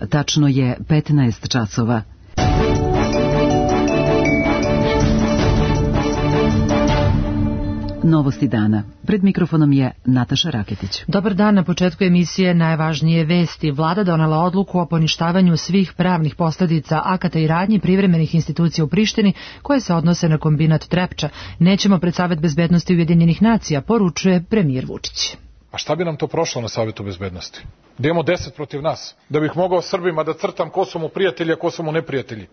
tačno je 15 časova. Novosti dana. Pred mikrofonom je Nataša Raketić. Dobar dan, na početku emisije najvažnije vesti. Vlada donela odluku o poništavanju svih pravnih posljedica akata i radnji privremenih institucija u Prištini koje se odnose na kombinat Trepča. Nećemo pred Savet bezbednosti Ujedinjenih nacija, poručuje premijer Vučić. A šta bi nam to prošlo na Savetu bezbednosti? Da imamo 10 protiv nas. Da bih mogao Srbima da crtam ko su mu prijatelji, a ko su mu neprijatelji.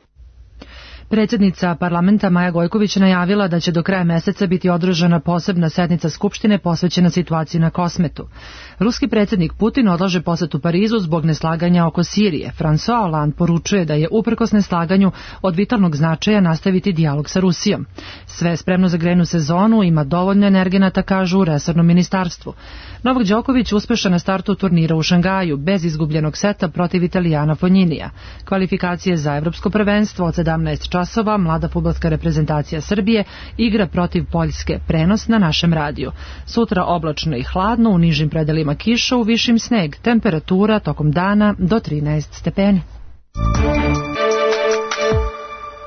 Predsjednica parlamenta Maja Gojković najavila da će do kraja meseca biti održana posebna sednica Skupštine posvećena situaciji na Kosmetu. Ruski predsjednik Putin odlaže posetu Parizu zbog neslaganja oko Sirije. François Hollande poručuje da je uprkos neslaganju od vitalnog značaja nastaviti dijalog sa Rusijom. Sve je spremno za grejnu sezonu, ima dovoljno energenata, kažu u resornom ministarstvu. Novak Đoković uspešan na startu turnira u Šangaju, bez izgubljenog seta protiv Italijana Fogninija. Kvalifikacije za evropsko prvenstvo od 17 časova, mlada fudbalska reprezentacija Srbije igra protiv Poljske, prenos na našem radiju. Sutra oblačno i hladno, u nižim predelima kiša, u višim sneg, temperatura tokom dana do 13 stepeni.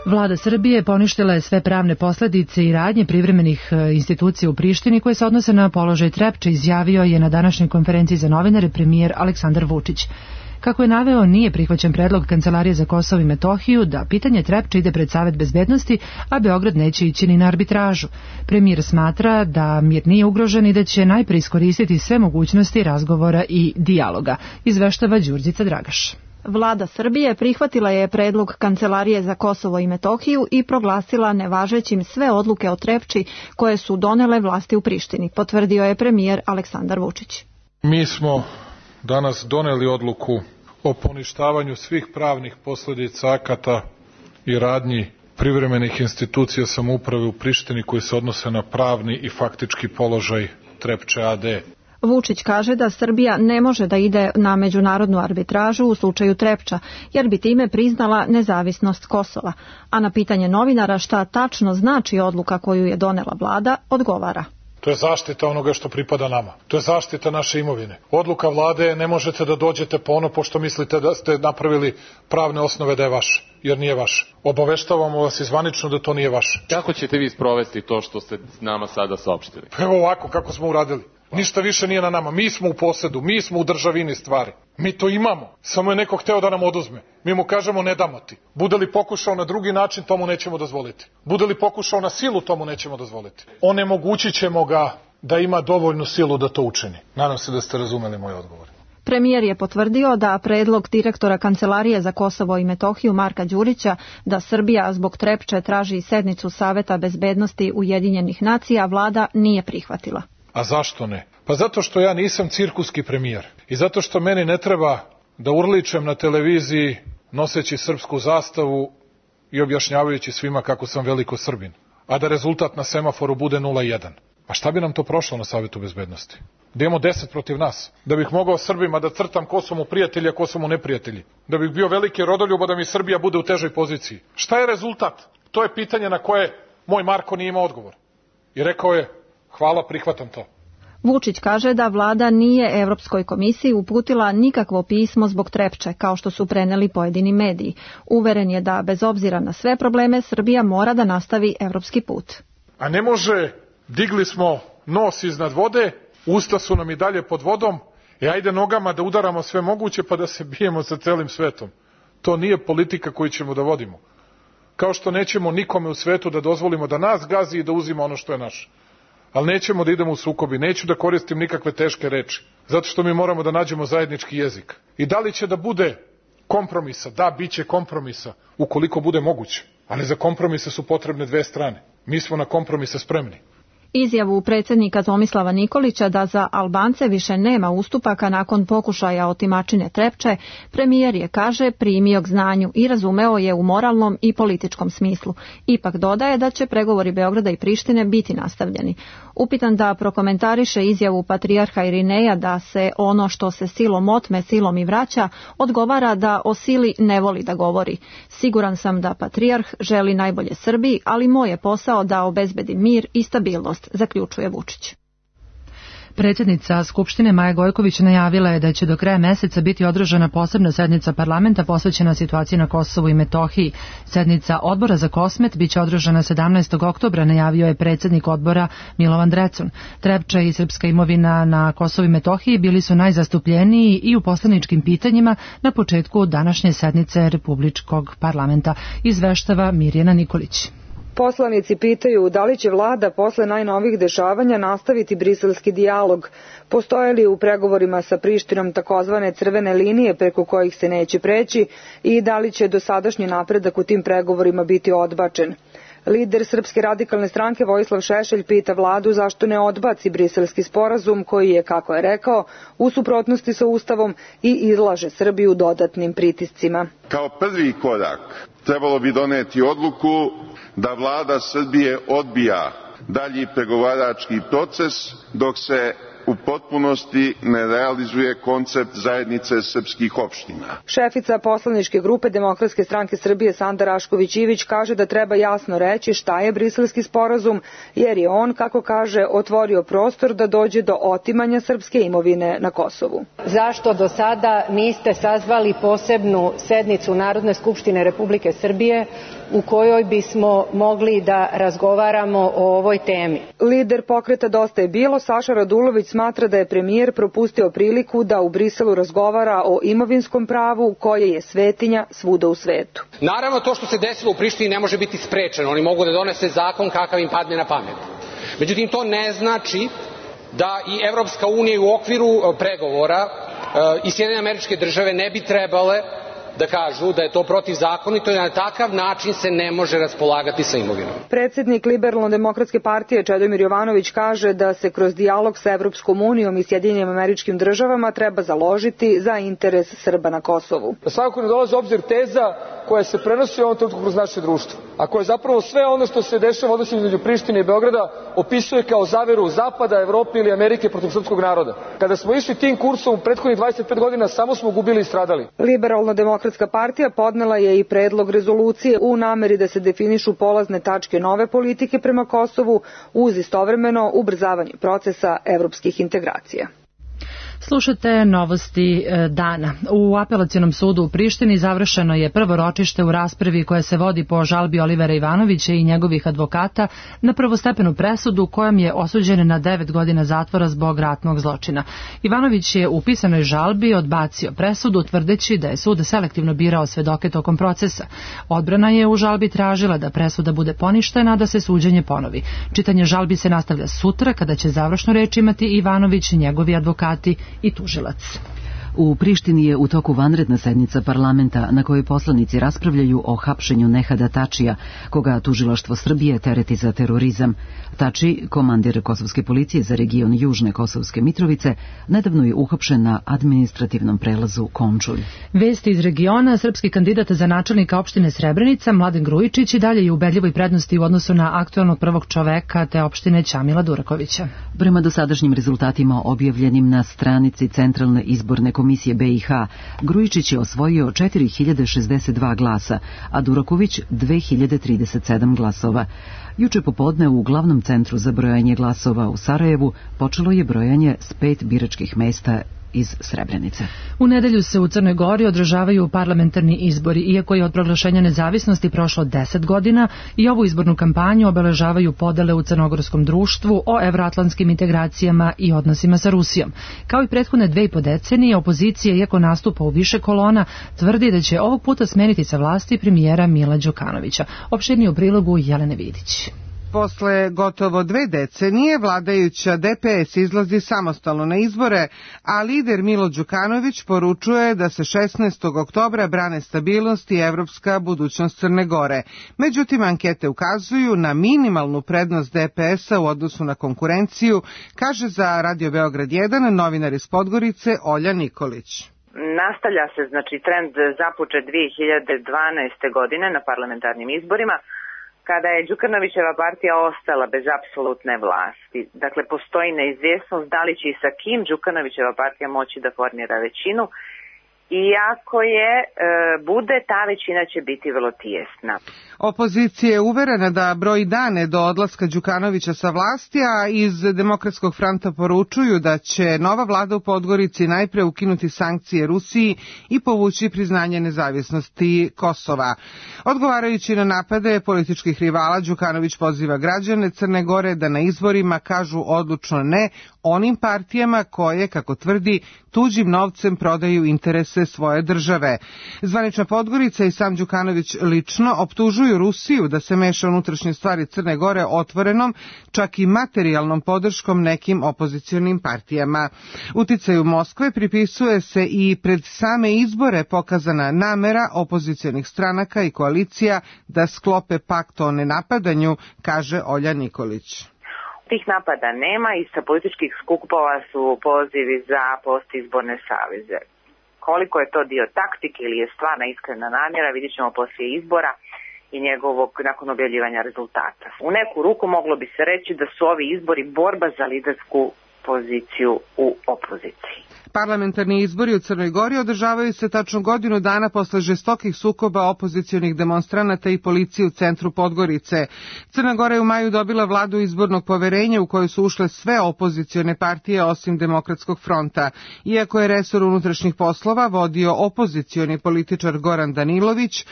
Vlada Srbije poništila je sve pravne posljedice i radnje privremenih institucija u Prištini koje se odnose na položaj Trepče, izjavio je na današnjoj konferenciji za novinare premijer Aleksandar Vučić. Kako je naveo, nije prihvaćen predlog Kancelarije za Kosovo i Metohiju da pitanje Trepče ide pred Savet bezbednosti, a Beograd neće ići ni na arbitražu. Premijer smatra da mir nije ugrožen i da će najprije iskoristiti sve mogućnosti razgovora i dijaloga, izveštava Đurđica Dragaš. Vlada Srbije prihvatila je predlog Kancelarije za Kosovo i Metohiju i proglasila nevažećim sve odluke o Trepči koje su donele vlasti u Prištini, potvrdio je premijer Aleksandar Vučić. Mi smo danas doneli odluku o poništavanju svih pravnih posljedica akata i radnji privremenih institucija samouprave u Prištini koji se odnose na pravni i faktički položaj Trepče AD. Vučić kaže da Srbija ne može da ide na međunarodnu arbitražu u slučaju Trepča, jer bi time priznala nezavisnost Kosova. A na pitanje novinara šta tačno znači odluka koju je donela vlada, odgovara. To je zaštita onoga što pripada nama. To je zaštita naše imovine. Odluka vlade ne možete da dođete po ono pošto mislite da ste napravili pravne osnove da je vaše, jer nije vaše. Obaveštavamo vas zvanično da to nije vaše. Kako ćete vi sprovesti to što ste nama sada saopštili? Evo ovako kako smo uradili. Ništa više nije na nama. Mi smo u posedu, mi smo u državini stvari. Mi to imamo. Samo je neko hteo da nam oduzme. Mi mu kažemo ne damo ti. Bude li pokušao na drugi način, tomu nećemo dozvoliti. Bude li pokušao na silu, tomu nećemo dozvoliti. Onemogućit ćemo ga da ima dovoljnu silu da to učini. Nadam se da ste razumeli moj odgovor. Premijer je potvrdio da predlog direktora Kancelarije za Kosovo i Metohiju Marka Đurića da Srbija zbog Trepče traži sednicu Saveta bezbednosti Ujedinjenih nacija vlada nije prihvatila. A zašto ne? Pa zato što ja nisam cirkuski premijer i zato što meni ne treba da urličem na televiziji noseći srpsku zastavu i objašnjavajući svima kako sam veliko Srbin, a da rezultat na semaforu bude 0-1. A šta bi nam to prošlo na Savetu bezbednosti? Da imamo 10 protiv nas, da bih mogao Srbima da crtam ko su mu prijatelji, a ko su mu neprijatelji, da bih bio veliki rodoljub, a da mi Srbija bude u težoj poziciji. Šta je rezultat? To je pitanje na koje moj Marko nije imao odgovor. I rekao je, hvala, prihvatam to. Vučić kaže da vlada nije Evropskoj komisiji uputila nikakvo pismo zbog Trepče, kao što su preneli pojedini mediji. Uveren je da, bez obzira na sve probleme, Srbija mora da nastavi evropski put. A ne može, digli smo nos iznad vode, usta su nam i dalje pod vodom, ajde nogama da udaramo sve moguće pa da se bijemo sa celim svetom. To nije politika koju ćemo da vodimo. Kao što nećemo nikome u svetu da dozvolimo da nas gazi i da uzima ono što je naše. Ali nećemo da idemo u sukobi, neću da koristim nikakve teške reči, zato što mi moramo da nađemo zajednički jezik. I da li će da bude kompromisa? Da, bit će kompromisa, ukoliko bude moguće. Ali za kompromise su potrebne dve strane. Mi smo na kompromise spremni. Izjavu predsjednika Tomislava Nikolića da za Albance više nema ustupaka nakon pokušaja otimačine Trepče, premijer je, kaže, primio k znanju i razumeo je u moralnom i političkom smislu. Ipak dodaje da će pregovori Beograda i Prištine biti nastavljeni. Upitan da prokomentariše izjavu patrijarha Irineja da se ono što se silom otme, silom i vraća, odgovara da o sili ne voli da govori. Siguran sam da patrijarh želi najbolje Srbiji, ali moj je posao da obezbedi mir i stabilnost, zaključuje Vučić. Predsjednica Skupštine Maja Gojković najavila je da će do kraja meseca biti održana posebna sednica parlamenta posvećena situaciji na Kosovu i Metohiji. Sednica Odbora za Kosmet biće održana 17. oktobra, najavio je predsjednik odbora Milovan Drecun. Trepča i srpska imovina na Kosovu i Metohiji bili su najzastupljeniji i u poslaničkim pitanjima na početku današnje sednice Republičkog parlamenta, izveštava Mirjana Nikolić. Poslanici pitaju da li će vlada posle najnovijih dešavanja nastaviti briselski dijalog. Postoje li u pregovorima sa Prištinom takozvane crvene linije preko kojih se neće preći i da li će dosadašnji napredak u tim pregovorima biti odbačen. Lider Srpske radikalne stranke Vojislav Šešelj pita vladu zašto ne odbaci briselski sporazum koji je, kako je rekao, u suprotnosti sa Ustavom i izlaže Srbiju dodatnim pritiscima. Kao prvi korak trebalo bi doneti odluku da vlada Srbije odbija dalji pregovarački proces dok se u potpunosti ne realizuje koncept zajednice srpskih opština. Šefica poslaničke grupe Demokratske stranke Srbije Sanda Rašković-Ivić kaže da treba jasno reći šta je briselski sporazum, jer je on, kako kaže, otvorio prostor da dođe do otimanja srpske imovine na Kosovu. Zašto do sada niste sazvali posebnu sednicu Narodne skupštine Republike Srbije u kojoj bismo mogli da razgovaramo o ovoj temi? Lider pokreta Dosta je bilo, Saša Radulović, smatra da je premijer propustio priliku da u Briselu razgovara o imovinskom pravu koje je svetinja svuda u svetu. Naravno, to što se desilo u Prištini ne može biti sprečeno. Oni mogu da donese zakon kakav im padne na pamet. Međutim, to ne znači da i Evropska unija u okviru pregovora i Sjedinjene Američke Države ne bi trebale da kažu da je to protivzakonito i na takav način se ne može raspolagati sa imovinom. Predsjednik Liberalno-demokratske partije Čedomir Jovanović kaže da se kroz dijalog sa Evropskom unijom i Sjedinjenim Američkim Državama treba založiti za interes Srba na Kosovu. Svakako ne dolazi u obzir teza koja se prenosi u ovom trenutku kroz naše društvo, a koje zapravo sve ono što se dešava u odnosima između Prištine i Beograda opisuje kao zaveru Zapada, Evrope ili Amerike protiv srpskog naroda. Kada smo išli tim kursom u prethodnih 25 godina samo smo gubili i stradali. Liberalno-demokratska partija podnela je i predlog rezolucije u nameri da se definišu polazne tačke nove politike prema Kosovu uz istovremeno ubrzavanje procesa evropskih integracija. Slušate novosti dana. U Apelacionom sudu u Prištini završeno je prvo ročište u raspravi koja se vodi po žalbi Olivera Ivanovića i njegovih advokata na prvostepenu presudu kojom je osuđen na 9 godina zatvora zbog ratnog zločina. Ivanović je u pisanoj žalbi odbacio presudu tvrdeći da je sud selektivno birao svedoke tokom procesa. Odbrana je u žalbi tražila da presuda bude poništena, a da se suđenje ponovi. Čitanje žalbi se nastavlja sutra kada će završnu reč imati Ivanović, njegovi advokati i tužilac. U Prištini je u toku vanredna sednica parlamenta na kojoj poslanici raspravljaju o hapšenju Nehada Tačija, koga tužilaštvo Srbije tereti za terorizam. Tači, komandir kosovske policije za region Južne Kosovske Mitrovice, nedavno je uhapšen na administrativnom prelazu Končulj. Vesti iz regiona: srpski kandidat za načelnika opštine Srebrenica, Mladen Grujičić, i dalje je u ubedljivoj prednosti u odnosu na aktuelnog prvog čoveka te opštine Ćamila Durakovića. Prema dosadašnjim rezultatima objavljenim na stranici Centralne izborne komisije BiH, Grujičić je osvojio 4062 glasa, a Duraković 2037 glasova. Juče popodne u glavnom centru za brojanje glasova u Sarajevu počelo je brojanje s 5 biračkih mesta iz Srebrenice. U nedelju se u Crnoj Gori održavaju parlamentarni izbori. Iako je od proglašenja nezavisnosti prošlo 10 godina, i ovu izbornu kampanju obeležavaju podele u crnogorskom društvu o evroatlantskim integracijama i odnosima sa Rusijom. Kao i prethodne 2,5 decenije, opozicija, iako nastupa u više kolona, tvrdi da će ovog puta smeniti sa vlasti premijera Mila Đukanovića. Opširnije u prilogu Jelene Vidić. Posle gotovo 2 decenije vladajuća DPS izlazi samostalno na izbore, a lider Milo Đukanović poručuje da se 16. oktobra brane stabilnost i evropska budućnost Crne Gore. Međutim, ankete ukazuju na minimalnu prednost DPS-a u odnosu na konkurenciju, kaže za Radio Beograd 1 novinar iz Podgorice Olja Nikolić. Nastavlja se trend započet 2012. godine na parlamentarnim izborima, kada je Đukanovićeva partija ostala bez apsolutne vlasti. Dakle, postoji neizvjesnost da li će i sa kim Đukanovićeva partija moći da formira većinu i ako je bude, ta većina će biti vrlo tijesna. Opozicija je uverena da broji dane do odlaska Đukanovića sa vlasti, a iz Demokratskog fronta poručuju da će nova vlada u Podgorici najpre ukinuti sankcije Rusiji i povući priznanje nezavisnosti Kosova. Odgovarajući na napade političkih rivala, Đukanović poziva građane Crne Gore da na izborima kažu odlučno ne onim partijama koje, kako tvrdi, tuđim novcem prodaju interese svoje države. Zvanična Podgorica i sam Đukanović lično optužuju Rusiju da se meša unutrašnje stvari Crne Gore otvorenom, čak i materijalnom podrškom nekim opozicionim partijama. Uticaju Moskve pripisuje se i pred same izbore pokazana namera opozicionih stranaka i koalicija da sklope pakt o nenapadanju, kaže Olja Nikolić. Tih napada nema i sa političkih skupova su pozivi za postizborne saveze. Koliko je to dio taktike ili je stvarna iskrena namjera, vidjet ćemo poslije izbora i njegovog nakon objavljivanja rezultata. U neku ruku moglo bi se reći da su ovi izbori borba za lidersku poziciju u opoziciji. Parlamentarni izbori u Crnoj Gori održavaju se tačno godinu dana posle žestokih sukoba opozicionih demonstranata i policije u centru Podgorice. Crna Gora je u maju dobila vladu izbornog poverenja u kojoj su ušle sve opozicione partije osim Demokratskog fronta. Iako je resor unutrašnjih poslova vodio opozicioni političar Goran Danilović,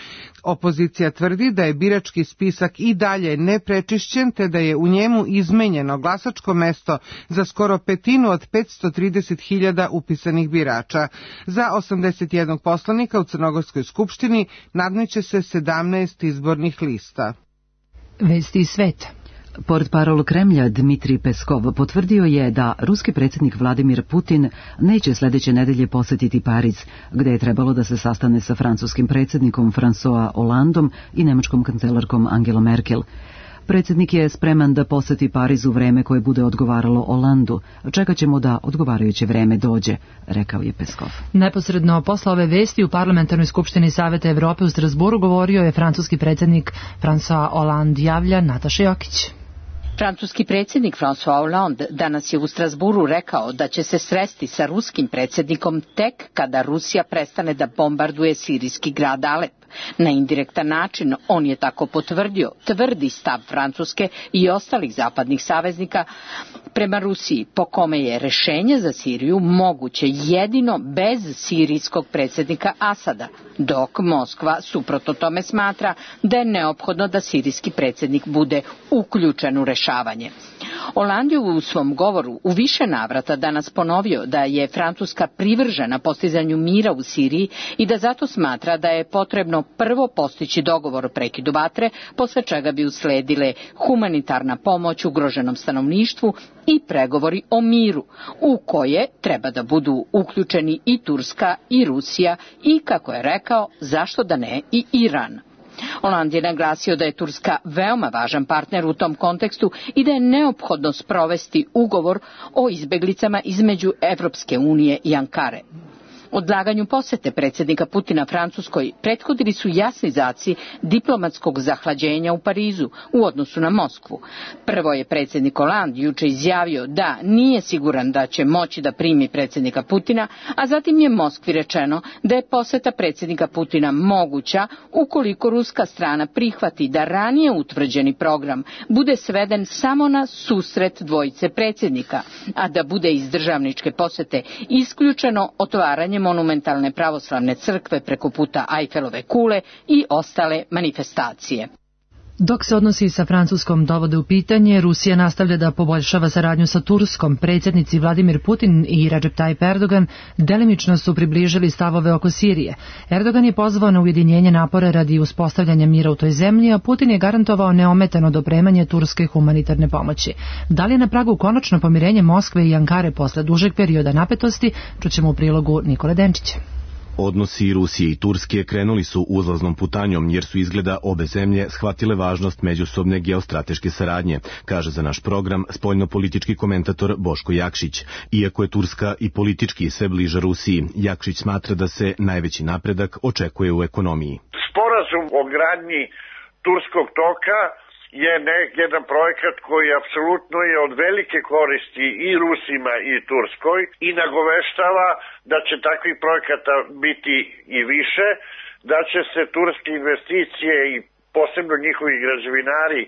opozicija tvrdi da je birački spisak i dalje neprečišćen te da je u njemu izmenjeno glasačko mesto za skoro petinu od 530.000 upisanih birača. Za 81 poslanika u Crnogorskoj skupštini nadmeće se 17 izbornih lista. Vesti iz sveta. Portparol Kremlja Dmitrij Peskov potvrdio je da ruski predsjednik Vladimir Putin neće sljedeće nedelje posjetiti Pariz, gdje je trebalo da se sastane sa francuskim predsjednikom François Hollandom i nemačkom kancelarkom Angelom Merkel. Predsjednik je spreman da posjeti Pariz u vreme koje bude odgovaralo Hollandu. Čekat ćemo da odgovarajuće vreme dođe, rekao je Peskov. Neposredno posle ove vesti u Parlamentarnoj skupštini Saveta Evrope u Strasburu govorio je francuski predsjednik François Hollande, javlja Nataša Jokić. Francuski predsjednik François Hollande danas je u Strasburu rekao da će se sresti sa ruskim predsjednikom tek kada Rusija prestane da bombarduje sirijski grad Alep. Na indirektan način on je tako potvrdio tvrdi stav Francuske i ostalih zapadnih saveznika prema Rusiji, po kome je rešenje za Siriju moguće jedino bez sirijskog predsjednika Asada, dok Moskva suprotno tome smatra da je neophodno da sirijski predsjednik bude uključen u rešavanje. Hollande je u svom govoru u više navrata danas ponovio da je Francuska privržena postizanju mira u Siriji i da zato smatra da je potrebno prvo postići dogovor o prekidu vatre, posle čega bi usledile humanitarna pomoć ugroženom stanovništvu i pregovori o miru, u koje treba da budu uključeni i Turska i Rusija i, kako je rekao, zašto da ne i Iran. Hollande je naglasio da je Turska veoma važan partner u tom kontekstu i da je neophodno sprovesti ugovor o izbeglicama između Evropske unije i Ankare. Odlaganju posete predsjednika Putina Francuskoj prethodili su jasni znaci diplomatskog zahlađenja u Parizu u odnosu na Moskvu. Prvo je predsjednik Hollande juče izjavio da nije siguran da će moći da primi predsjednika Putina, a zatim je Moskvi rečeno da je poseta predsjednika Putina moguća ukoliko ruska strana prihvati da ranije utvrđeni program bude sveden samo na susret dvojice predsjednika, a da bude iz državničke posete isključeno otvaranje monumentalne pravoslavne crkve preko puta Eifelove kule i ostale manifestacije. Dok se odnosi sa Francuskom dovode u pitanje, Rusija nastavlja da poboljšava saradnju sa Turskom. Predsjednici Vladimir Putin i Recep Tayyip Erdogan delimično su približili stavove oko Sirije. Erdogan je pozvao na ujedinjenje napore radi uspostavljanja mira u toj zemlji, a Putin je garantovao neometano dopremanje turske humanitarne pomoći. Da li je na pragu konačno pomirenje Moskve i Ankare posle dužeg perioda napetosti, čućemo u prilogu Nikole Denčića. Odnosi Rusije i Turske krenuli su uzlaznom putanjom jer su izgleda obe zemlje shvatile važnost međusobne geostrateške saradnje, kaže za naš program spoljnopolitički komentator Boško Jakšić. Iako je Turska i politički sve bliža Rusiji, Jakšić smatra da se najveći napredak očekuje u ekonomiji. Sporazum o gradnji Turskog toka je jedan projekat koji apsolutno je od velike koristi i Rusima i Turskoj i nagoveštava da će takvih projekata biti i više, da će se turske investicije i posebno njihovi građevinari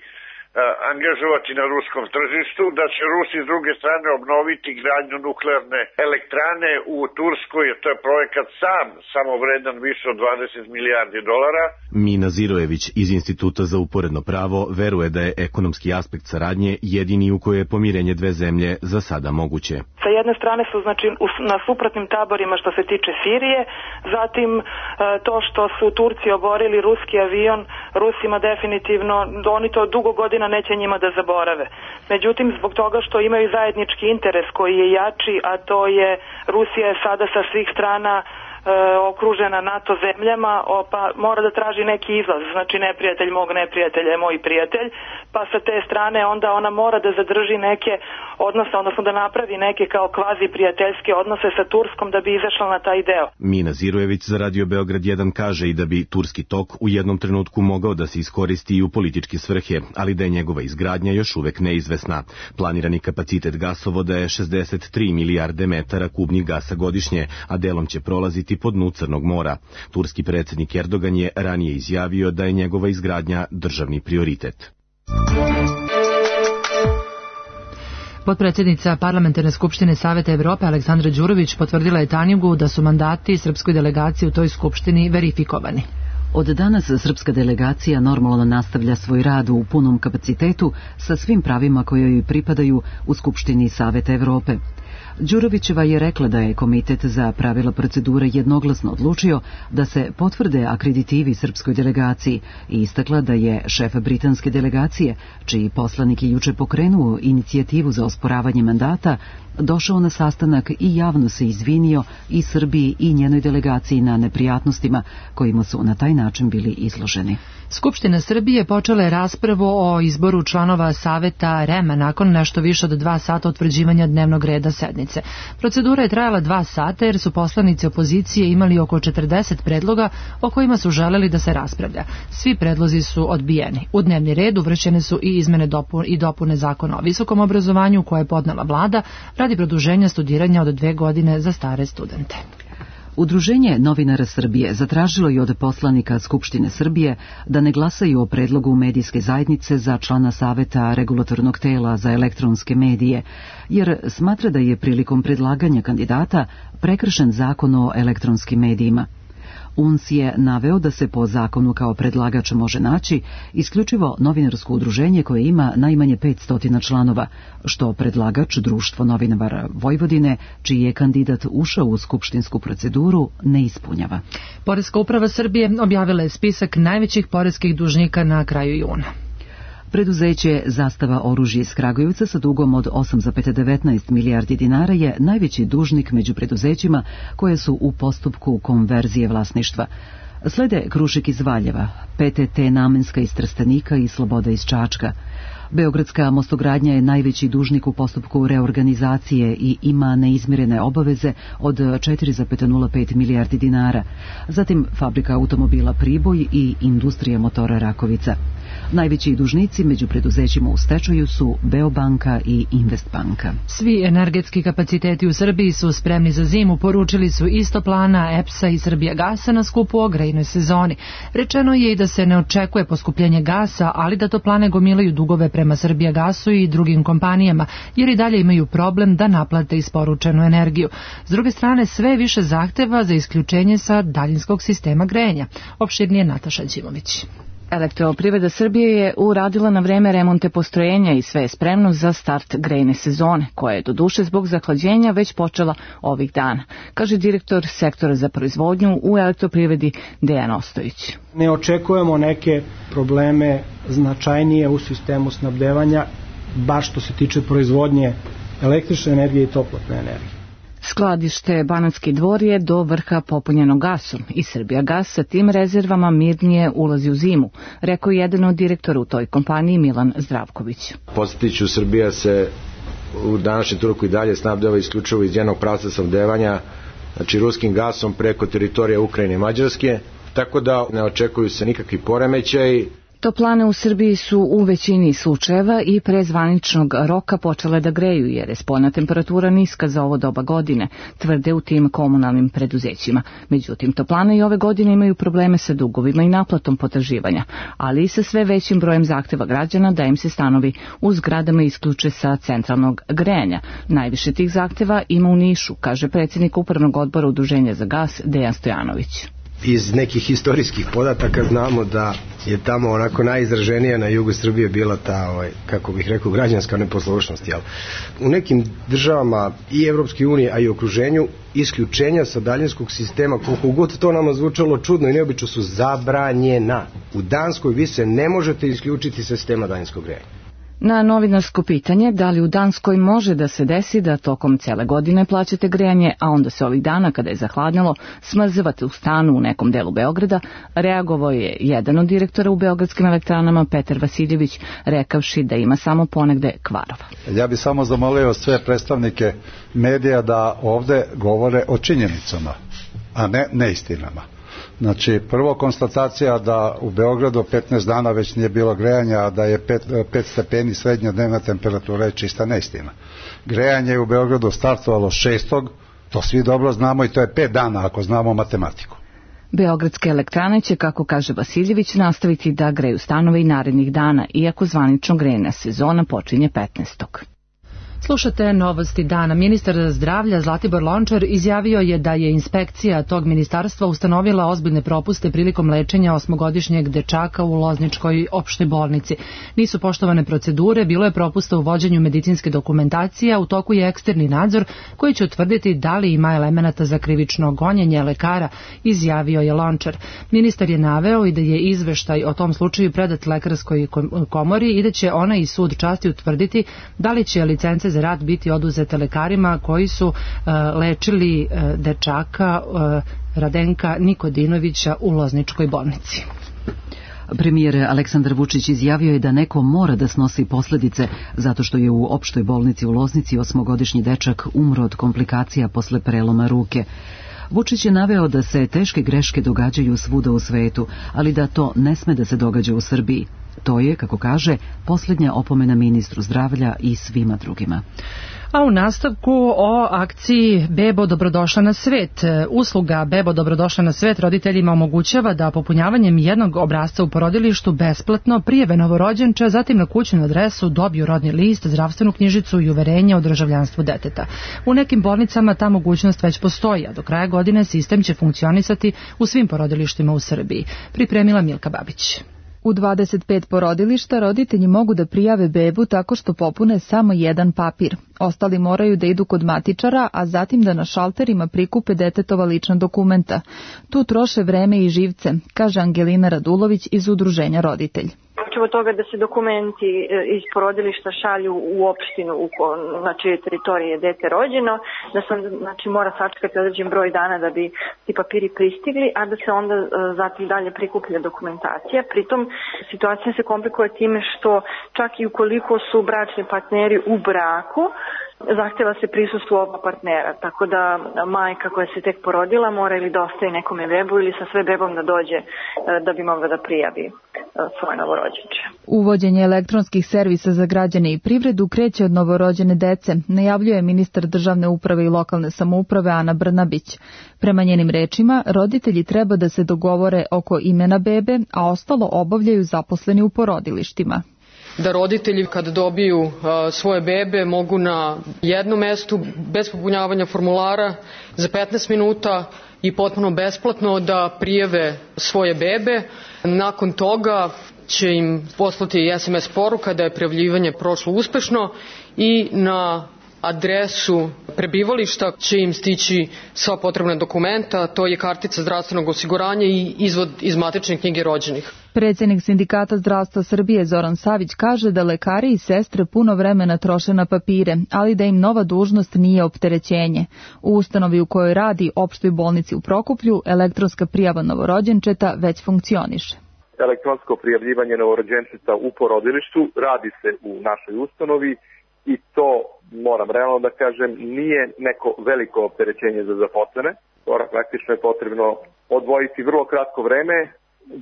angažovati na ruskom tržištu, da će Rusi s druge strane obnoviti gradnju nuklearne elektrane u Turskoj, jer to je projekat samo vredan više od 20 milijardi dolara. Mina Zirojević iz Instituta za uporedno pravo veruje da je ekonomski aspekt saradnje jedini u kojoj je pomirenje dve zemlje za sada moguće. Sa jedne strane su na suprotnim taborima što se tiče Sirije, zatim to što su Turci oborili ruski avion, Rusima definitivno, oni to dugo godina neće njima da zaborave. Međutim, zbog toga što imaju zajednički interes koji je jači, a to je Rusija je sada sa svih strana okružena NATO zemljama, pa mora da traži neki izlaz, znači neprijatelj mog neprijatelja je moj prijatelj, pa sa te strane onda ona mora da zadrži neke odnose, odnosno da napravi neke kao kvazi prijateljske odnose sa Turskom da bi izašla na taj deo. Mina Zirojević za Radio Beograd 1 kaže i da bi turski tok u jednom trenutku mogao da se iskoristi i u političke svrhe, ali da je njegova izgradnja još uvek neizvesna. Planirani kapacitet gasovoda je 63 milijarde metara kubnih gasa godišnje, a delom će prolaziti po dnu Crnog mora. Turski predsjednik Erdogan je ranije izjavio da je njegova izgradnja državni prioritet. Potpredsjednica Parlamentarne skupštine Saveta Evrope Aleksandra Đurović potvrdila je Tanjugu da su mandati srpskoj delegaciji u toj skupštini verifikovani. Od danas srpska delegacija normalno nastavlja svoj rad u punom kapacitetu sa svim pravima koje joj pripadaju u Skupštini Saveta Evrope. Đurovićeva je rekla da je Komitet za pravila procedure jednoglasno odlučio da se potvrde akreditivi srpskoj delegaciji i istakla da je šef britanske delegacije, čiji poslanik je juče pokrenuo inicijativu za osporavanje mandata, došao na sastanak i javno se izvinio i Srbiji i njenoj delegaciji na neprijatnostima kojima su na taj način bili izloženi. Skupština Srbije počela je raspravu o izboru članova Saveta REM-a nakon nešto više od 2 sata utvrđivanja dnevnog reda sednice. Procedura je trajala 2 sata jer su poslanici opozicije imali oko 40 predloga o kojima su želeli da se raspravlja. Svi predlozi su odbijeni. U dnevni red uvršćene su i izmene i dopune zakona o visokom obrazovanju koje je podnela vlada radi produženja studiranja od 2 godine za stare studente. Udruženje novinara Srbije zatražilo je od poslanika Skupštine Srbije da ne glasaju o predlogu medijske zajednice za člana Saveta regulatornog tela za elektronske medije, jer smatra da je prilikom predlaganja kandidata prekršen zakon o elektronskim medijima. UNS je naveo da se po zakonu kao predlagač može naći isključivo novinarsko udruženje koje ima najmanje 500 članova, što predlagač Društvo novinara Vojvodine, čiji je kandidat ušao u skupštinsku proceduru, ne ispunjava. Poreska uprava Srbije objavila je spisak najvećih poreskih dužnika na kraju juna. Preduzeće Zastava oružje iz Kragujevca sa dugom od 8,19 milijardi dinara je najveći dužnik među preduzećima koje su u postupku konverzije vlasništva. Slede Krušik iz Valjeva, PTT Namenska iz Trstenika i Sloboda iz Čačka. Beogradska mostogradnja je najveći dužnik u postupku reorganizacije i ima neizmirene obaveze od 4,05 milijardi dinara. Zatim Fabrika automobila Priboj i Industrija motora Rakovica. Najveći dužnici među preduzećima u stečaju su Beobanka i Investbanka. Svi energetski kapaciteti u Srbiji su spremni za zimu, poručili su Istoplana, EPS-a i Srbijagasa na skupu o grejnoj sezoni. Rečeno je i da se ne očekuje poskupljenje gasa, ali da toplane gomilaju dugove prema Srbijagasu i drugim kompanijama, jer i dalje imaju problem da naplate isporučenu energiju. S druge strane, sve više zahteva za isključenje sa daljinskog sistema grejanja. Opširnije Nataša Đimović. Elektroprivreda Srbije je uradila na vreme remonte postrojenja i sve je spremno za start grejne sezone, koja je doduše zbog zahlađenja već počela ovih dana, kaže direktor sektora za proizvodnju u elektroprivredi Dejan Ostojić. Ne očekujemo neke probleme značajnije u sistemu snabdevanja, baš što se tiče proizvodnje električne energije i toplotne energije. Skladište Banatski Dvor je do vrha popunjeno gasom i Srbijagas sa tim rezervama mirnije ulazi u zimu, rekao jedan od direktora u toj kompaniji Milan Zdravković. Podsjetiću, Srbija se u današnjem trenutku i dalje snabdeva isključivo iz jednog pravca snabdevanja, znači ruskim gasom preko teritorija Ukrajine i Mađarske, tako da ne očekuju se nikakvi poremećaji. Toplane u Srbiji su u većini slučajeva i pre zvaničnog roka počele da greju jer je spoljna temperatura niska za ovo doba godine, tvrde u tim komunalnim preduzećima. Međutim, toplane i ove godine imaju probleme sa dugovima i naplatom potraživanja, ali i sa sve većim brojem zahteva građana da im se stanovi u zgradama isključe sa centralnog grejanja. Najviše tih zahteva ima u Nišu, kaže predsjednik Upravnog odbora Udruženja za gas Dejan Stojanović. Iz nekih historijskih podataka znamo da je tamo onako najizraženija na jugu Srbije bila ta, kako bih rekao, građanska neposlušnost. Jel? U nekim državama i Evropske unije, a i okruženju, isključenja sa daljinskog sistema, koliko god to nama zvučalo čudno i neobično, su zabranjena. U Danskoj vi se ne možete isključiti sa sistema daljinskog grejanja. Na novinarsko pitanje da li u Danskoj može da se desi da tokom cele godine plaćate grejanje, a onda se ovih dana kada je zahladnjalo smrzavate u stanu u nekom delu Beograda, reagovao je jedan od direktora u Beogradskim elektranama, Petar Vasiljević, rekavši da ima samo ponegde kvarova. Ja bih samo zamolio sve predstavnike medija da ovde govore o činjenicama, a ne neistinama. Znači, prvo konstatacija da u Beogradu 15 dana već nije bilo grejanja, a da je 5 stepeni srednja dnevna temperatura je čista neistina. Grejanje je u Beogradu startovalo 6. To svi dobro znamo i to je 5 dana ako znamo matematiku. Beogradske elektrane će, kako kaže Vasiljević, nastaviti da greju stanove i narednih dana, iako zvanično grejna sezona počinje 15. Slušate novosti dana. Ministar zdravlja Zlatibor Lončar izjavio je da je inspekcija tog ministarstva ustanovila ozbiljne propuste prilikom lečenja 8-godišnjeg dečaka u Lozničkoj opštoj bolnici. Nisu poštovane procedure, bilo je propusta u vođenju medicinske dokumentacije, a u toku je eksterni nadzor koji će utvrditi da li ima elemenata za krivično gonjenje lekara, izjavio je Lončar. Ministar je naveo i da je izveštaj o tom slučaju predat lekarskoj komori i da će ona i sud časti utvrditi da li će licence za rad biti oduzete lekarima koji su lečili dečaka Radenka Nikodinovića u Lozničkoj bolnici. Premijer Aleksandar Vučić izjavio je da neko mora da snosi posljedice zato što je u opštoj bolnici u Loznici 8-godišnji dečak umro od komplikacija posle preloma ruke. Vučić je naveo da se teške greške događaju svuda u svetu, ali da to ne sme da se događa u Srbiji. To je, kako kaže, posljednja opomena ministru zdravlja i svima drugima. A u nastavku o akciji Bebo dobrodošla na svet. Usluga Bebo dobrodošla na svet roditeljima omogućava da popunjavanjem jednog obrasca u porodilištu besplatno prijave novorođenča, zatim na kućnu adresu dobiju rodni list, zdravstvenu knjižicu i uverenje o državljanstvu deteta. U nekim bolnicama ta mogućnost već postoji, a do kraja godine sistem će funkcionisati u svim porodilištima u Srbiji. Pripremila Milka Babić. U 25 porodilišta roditelji mogu da prijave bebu tako što popune samo jedan papir. Ostali moraju da idu kod matičara, a zatim da na šalterima prikupe detetova lična dokumenta. Tu troše vreme i živce, kaže Angelina Radulović iz Udruženja Roditelj. Od toga da se dokumenti iz porodilišta šalju u opštinu na čijoj teritoriji je dete rođeno, da se mora sačekati određen broj dana da bi ti papiri pristigli, a da se onda zatim dalje prikuplja dokumentacija. Pritom situacija se komplikuje time što čak i ukoliko su bračni partneri u braku, zahteva se prisustvo oba partnera, tako da majka koja se tek porodila mora ili da ostaje nekome bebu ili sa sve bebom da dođe da bi mogla da prijavi svoje novorođenče. Uvođenje elektronskih servisa za građane i privredu kreće od novorođene dece, najavljuje ministar državne uprave i lokalne samouprave Ana Brnabić. Prema njenim rečima, roditelji treba da se dogovore oko imena bebe, a ostalo obavljaju zaposleni u porodilištima. Da roditelji kad dobiju svoje bebe mogu na jednom mestu bez popunjavanja formulara za 15 minuta i potpuno besplatno da prijave svoje bebe. Nakon toga će im poslati SMS poruka da je prijavljivanje prošlo uspešno i na adresu prebivališta će im stići sva potrebna dokumenta, to je kartica zdravstvenog osiguranja i izvod iz matične knjige rođenih. Predsjednik Sindikata zdravstva Srbije Zoran Savić kaže da lekari i sestre puno vremena troše na papire, ali da im nova dužnost nije opterećenje. U ustanovi u kojoj radi opštoj bolnici u Prokuplju elektronska prijava novorođenčeta već funkcioniše. Elektronsko prijavljivanje novorođenčeta u porodilištu radi se u našoj ustanovi i to, moram realno da kažem, nije neko veliko opterećenje za zaposlene. Praktično je potrebno odvojiti vrlo kratko vreme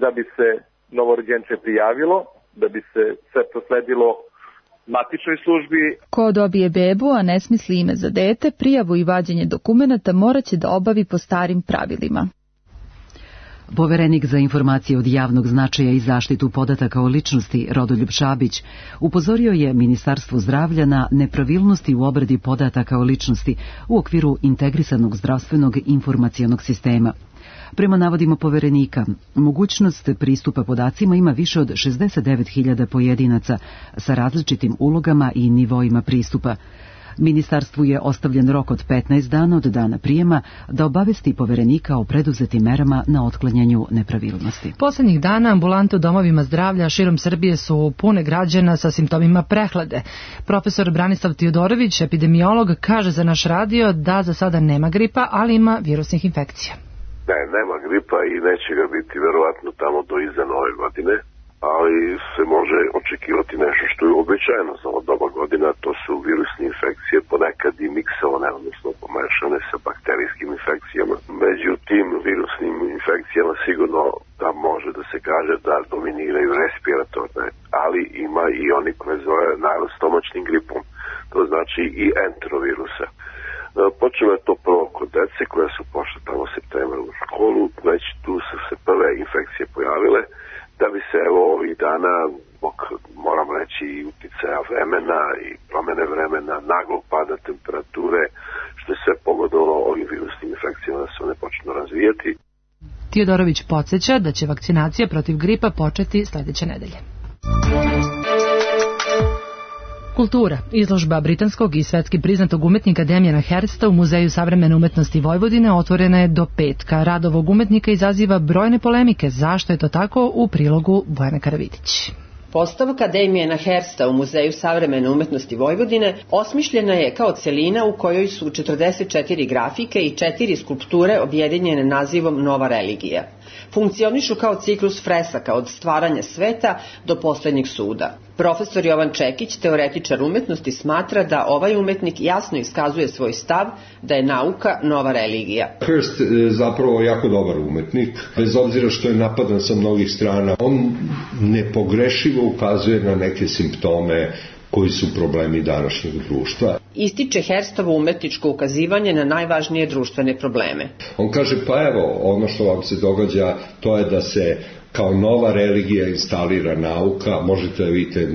da bi se novorođenče prijavilo, da bi se sve prosledilo matičnoj službi. Ko dobije bebu, a ne smisli ime za dete, prijavu i vađenje dokumenata moraće da obavi po starim pravilima. Poverenik za informacije od javnog značaja i zaštitu podataka o ličnosti Rodoljub Šabić upozorio je Ministarstvo zdravlja na nepravilnosti u obradi podataka o ličnosti u okviru integrisanog zdravstvenog informacionog sistema. Prema navodima poverenika, mogućnost pristupa podacima ima više od 69.000 pojedinaca sa različitim ulogama i nivoima pristupa. Ministarstvu je ostavljen rok od 15 dana od dana prijema da obavesti poverenika o preduzetim merama na otklanjanju nepravilnosti. Poslednjih dana ambulante u domovima zdravlja širom Srbije su pune građana sa simptomima prehlade. Profesor Branislav Tiodorović, epidemiolog, kaže za naš radio da za sada nema gripa, ali ima virusnih infekcija. Ne, nema gripa i neće ga biti verovatno tamo do iza nove godine, ali se može očekivati nešto što je uobičajeno za ovo doba godina, to su virusne infekcije, ponekad i miksovane, odnosno pomešane sa bakterijskim infekcijama. Među tim virusnim infekcijama sigurno da može da se kaže da dominiraju respiratorne, ali ima i oni koje zove narod-stomačnim gripom, to znači i enterovirusa. Počelo je to prvo kod dece koja su pošle tamo u septembru u školu, već tu su se prve infekcije pojavile, da bi se evo ovih dana, moram reći i uticaja vremena i promene vremena, naglog pada temperature, što je sve pogodilo ovim virusnim infekcijama da se one počnu razvijati. Tiodorović podsjeća da će vakcinacija protiv gripa početi sledeće nedelje. Kultura. Izložba britanskog i svetski priznatog umetnika Damjana Hirsta u Muzeju savremene umetnosti Vojvodine otvorena je do petka. Rad ovog umetnika izaziva brojne polemike. Zašto je to tako? U prilogu Bojana Karavidić. Postavka Damjana Hirsta u Muzeju savremene umetnosti Vojvodine osmišljena je kao celina u kojoj su 44 grafike i 4 skulpture objedinjene nazivom Nova religija. Funkcionišu kao ciklus fresaka od stvaranja sveta do poslednjeg suda. Profesor Jovan Čekić, teoretičar umetnosti, smatra da ovaj umetnik jasno iskazuje svoj stav da je nauka nova religija. Hirst je zapravo jako dobar umetnik, bez obzira što je napadan sa mnogih strana. On nepogrešivo ukazuje na neke simptome koji su problemi današnjeg društva. Ističe Hirstovo umetničko ukazivanje na najvažnije društvene probleme. On kaže, pa evo, ono što vam se događa, to je da se kao nova religija instalira nauka, možete da vidite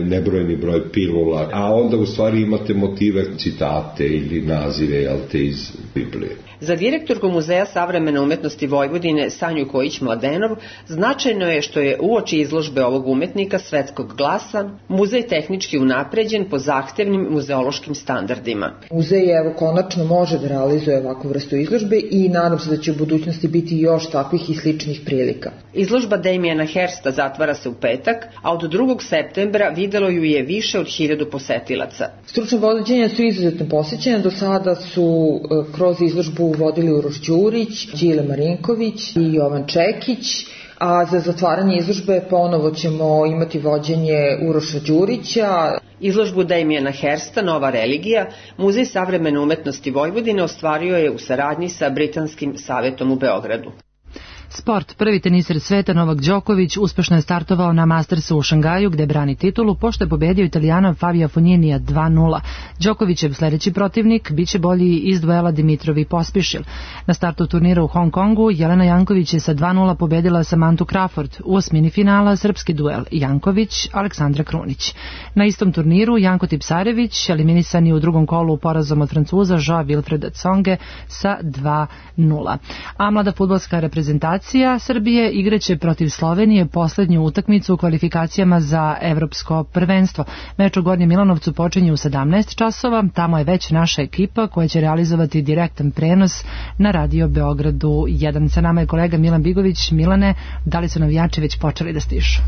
nebrojeni broj pilula, a onda u stvari imate motive, citate ili nazive, jel te, iz Biblije. Za direktorku Muzeja savremene umetnosti Vojvodine Sanju Kojić-Mladenov značajno je što je uoči izložbe ovog umetnika svetskog glasa muzej tehnički unapređen po zahtevnim muzeološkim standardima. Muzej evo konačno može da realizuje ovakvu vrstu izložbe i nadam se da će u budućnosti biti još takvih i sličnih prilika. Izložba Damjana Hirsta zatvara se u petak, a od 2. septembra videlo ju je više od 1000 posetilaca. Stručna vođenja su izuzetno posećena, do sada su kroz izložbu vodili Uroš Đurić, Đile Marinković i Jovan Čekić, a za zatvaranje izložbe ponovo ćemo imati vođenje Uroša Đurića. Izložbu Damjana Hirsta Nova religija Muzej savremene umetnosti Vojvodine ostvario je u saradnji sa Britanskim savetom u Beogradu. Sport. Prvi teniser sveta Novak Đoković uspešno je startovao na Mastersu u Šangaju gde brani titulu pošto je pobedio Italijana Fabio Fogninija 2-0. Đokovićev sledeći protivnik biće bolji iz duela Dimitrov i Pospišil. Na startu turnira u Hong Kongu Jelena Janković je sa 2-0 pobedila Samantu Crawford. U osmini finala srpski duel Janković-Aleksandra Krunić. Na istom turniru Janko Tipsarević eliminisan je u drugom kolu porazom od Francuza Joa Wilfreda Tsonge sa 2-0. A mlada fudbalska reprezentacija Srbije igraće protiv Slovenije poslednju utakmicu u kvalifikacijama za evropsko prvenstvo. Meč u Gornjem Milanovcu počinje u 17 časova, tamo je već naša ekipa koja će realizovati direktan prenos na Radio Beogradu 1. Sa nama je kolega Milan Bigović. Milane, da li su navijači već počeli da stižu?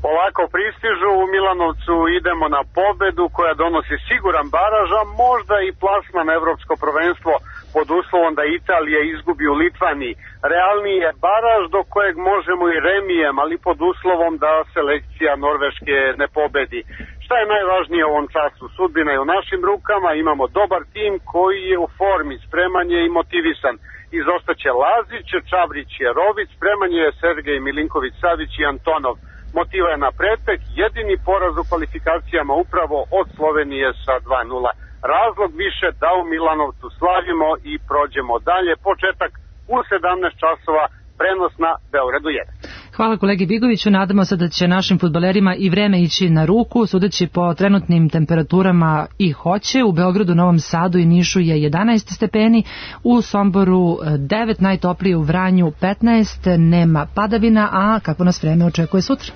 Polako pristižu, u Milanovcu idemo na pobedu koja donosi siguran baraž, a možda i plasman na evropsko prvenstvo pod uslovom da Italija izgubi u Litvaniji. Realniji je baraž do kojeg možemo i remijem, ali pod uslovom da selekcija Norveške ne pobedi. Šta je najvažnije u ovom času? Sudbina je u našim rukama, imamo dobar tim koji je u formi, spreman je i motivisan. izostaće Lazić, Čavrić je Rović, spreman je Sergej Milinković-Savić i Antonov. Motiva je na pretek, jedini poraz u kvalifikacijama upravo od Slovenije sa 2:0. Razlog više da u Milanovcu slavimo i prođemo dalje. Početak u 17 časova, prenos na Beogradu 1. Hvala kolegi Bigoviću, nadamo se da će našim fudbalerima i vreme ići na ruku, sudeći po trenutnim temperaturama i hoće. U Beogradu, Novom Sadu i Nišu je 11 stepeni, u Somboru 9, najtoplije u Vranju 15, nema padavina, a kako nas vreme očekuje sutra?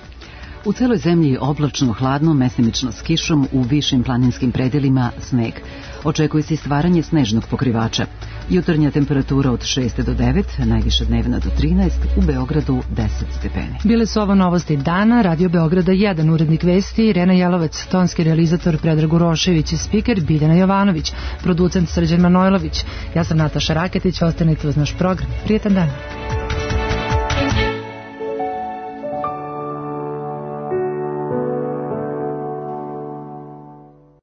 U celoj zemlji oblačno, hladno, mesimično s kišom, u višim planinskim predelima sneg. Očekuje se stvaranje snežnog pokrivača. Jutarnja temperatura od 6 do 9, najviša dnevna do 13, u Beogradu 10 stepeni. Bile su ovo novosti dana, Radio Beograda 1, urednik vesti Irena Jelovec, tonski realizator Predrag Urošević i spiker Biljana Jovanović, producent Srđan Manojlović. Ja sam Nataša Raketić, ostanite uz naš program. Prijetan dan.